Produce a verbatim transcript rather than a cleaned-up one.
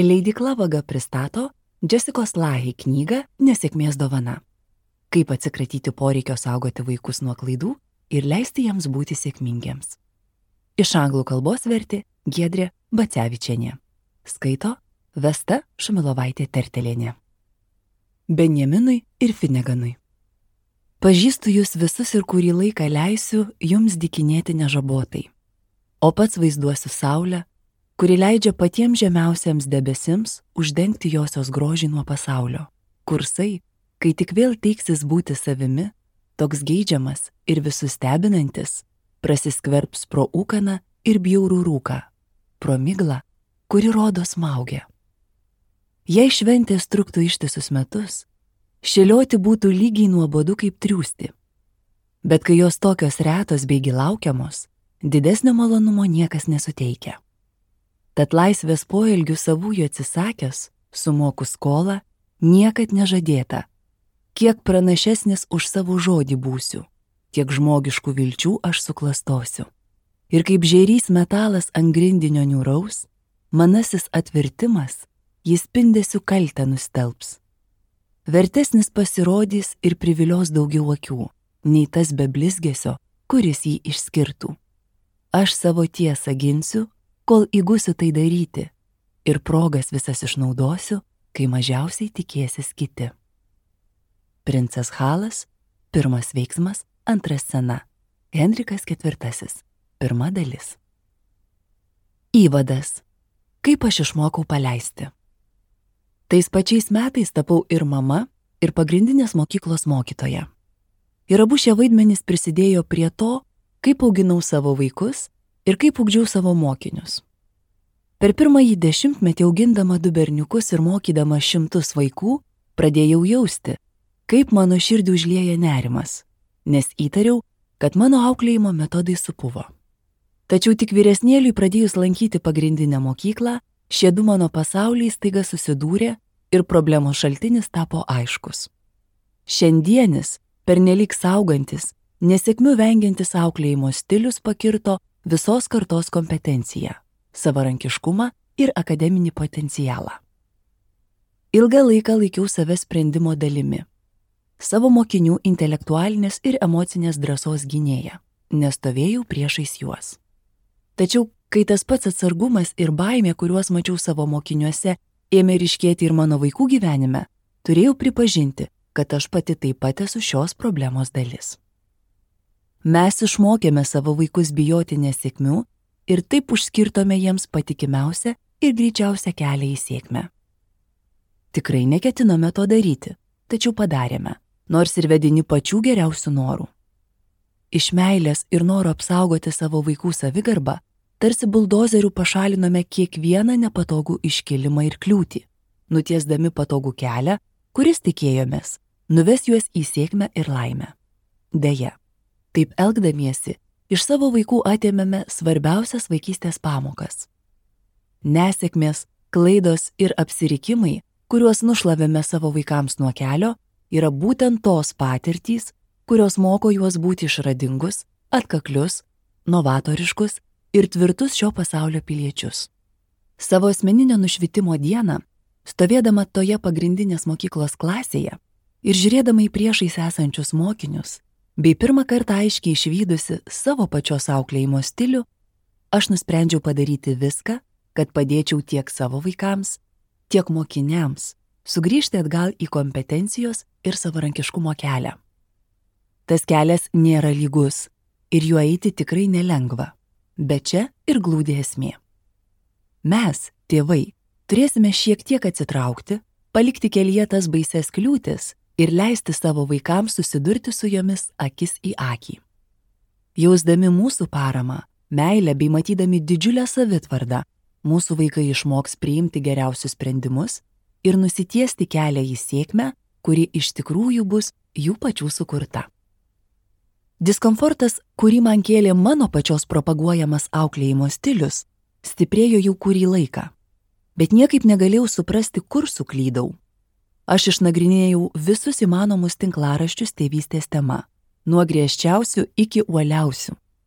Leidykla Vaga pristato Jessicos Lahey knygą Nesėkmės dovana. Kaip atsikratyti poreikio saugoti vaikus nuo klaidų ir leisti jiems būti sėkmingiems. Iš anglų kalbos vertė Giedrė Bacevičienė. Skaito Vesta Šumilovaitė Tertelienė. Benjaminui ir Fineganui. Pažįstu jūs visus ir kurį laiką leisiu jums dykinėti nežabotai, o pats vaizduosiu saulę, kuri leidžia patiems žemiausiems debesims uždengti josios grožį nuo pasaulio. Kursai, kai tik vėl teiksis būti savimi, toks geidžiamas ir visus stebinantis, prasiskverbs pro ūkaną ir bjaurų rūką, pro miglą, kuri rodo smaugia. Jei šventės truktų ištisus metus, šėlioti būtų lygiai nuobodu kaip triūsti. Bet kai jos tokios retos beigi laukiamos, didesnio malonumo niekas nesuteikia. Tad laisvės poelgių savųjų atsisakęs, sumoku skolą, niekad nežadėta. Kiek pranašesnis už savo žodį būsiu, tiek žmogiškų vilčių aš suklastosiu. Ir kaip žėrys metalas ant grindinio niūraus, manasis atvertimas, jis spindesiu kaltę nustelbs. Vertesnis pasirodys ir privilios daugiau akių, nei tas be blizgesio, kuris jį išskirtų. Aš savo tiesą ginsiu, kol įgusiu tai daryti, ir progas visas išnaudosiu, kai mažiausiai tikėsis kiti. Princas Halas, pirmas veiksmas, antra scena. Henrikas ketvirtasis, pirma dalis. Įvadas. Kaip aš išmokau paleisti. Tais pačiais metais tapau ir mama, ir pagrindinės mokyklos mokytoja. Ir abu šie vaidmenys prisidėjo prie to, kaip auginau savo vaikus ir kaip ugdžiau savo mokinius. Per pirmąjį dešimtmetį augindama du berniukus ir mokydama šimtus vaikų, pradėjau jausti, kaip mano širdį užlieja nerimas, nes įtariau, kad mano auklėjimo metodai supuvo. Tačiau tik vyresnėliui pradėjus lankyti pagrindinę mokyklą, šie du mano pasauliai staiga susidūrė ir problemos šaltinis tapo aiškus. Šiandienis, pernelyg saugantis, nesėkmių vengiantis auklėjimo stilius pakirto visos kartos kompetenciją, savarankiškumą ir akademinį potencialą. Ilgą laiką laikiau save sprendimo dalimi, savo mokinių intelektualinės ir emocinės drąsos gynėja, nestovėjau priešais juos. Tačiau, kai tas pats atsargumas ir baimė, kuriuos mačiau savo mokiniuose, ėmė ryškėti ir mano vaikų gyvenime, turėjau pripažinti, kad aš pati taip pat esu šios problemos dalis. Mes išmokėme savo vaikus bijoti nesėkmių ir taip užskirtome jiems patikimiausią ir greičiausią kelią į sėkmę. Tikrai neketinome to daryti, tačiau padarėme, nors ir vedini pačių geriausių norų. Iš meilės ir noro apsaugoti savo vaikų savigarbą, tarsi buldozerių pašalinome kiekvieną nepatogų iškilimą ir kliūtį, nutiesdami patogų kelią, kuris tikėjomės, nuves juos į sėkmę ir laimę. Deja, taip elgdamiesi, iš savo vaikų atėmėme svarbiausias vaikystės pamokas. Nesėkmės, klaidos ir apsirikimai, kuriuos nušlavėme savo vaikams nuo kelio, yra būtent tos patirtys, kurios moko juos būti išradingus, atkaklius, novatoriškus ir tvirtus šio pasaulio piliečius. Savo asmeninio nušvitimo dieną, stovėdama toje pagrindinės mokyklos klasėje ir žiūrėdama į priešais esančius mokinius, bei pirmą kartą aiškiai išvydusi savo pačios auklėjimo stilių, aš nusprendžiau padaryti viską, kad padėčiau tiek savo vaikams, tiek mokiniams sugrįžti atgal į kompetencijos ir savarankiškumo kelią. Tas kelias nėra lygus ir juo eiti tikrai nelengva, bet čia ir glūdi esmė. Mes, tėvai, turėsime šiek tiek atsitraukti, palikti kelyje tas baises kliūtis ir leisti savo vaikams susidurti su jomis akis į akį. Jausdami mūsų paramą, meilę bei matydami didžiulę savitvardą, mūsų vaikai išmoks priimti geriausius sprendimus ir nusitiesti kelią į sėkmę, kuri iš tikrųjų bus jų pačių sukurta. Diskomfortas, kurį man kėlė mano pačios propaguojamas auklėjimo stilius, stiprėjo jau kurį laiką, bet niekaip negalėjau suprasti, kur suklydau. Aš išnagrinėjau visus įmanomus tinklaraščius tėvystės tema, nuo griežčiausių iki uoliausių.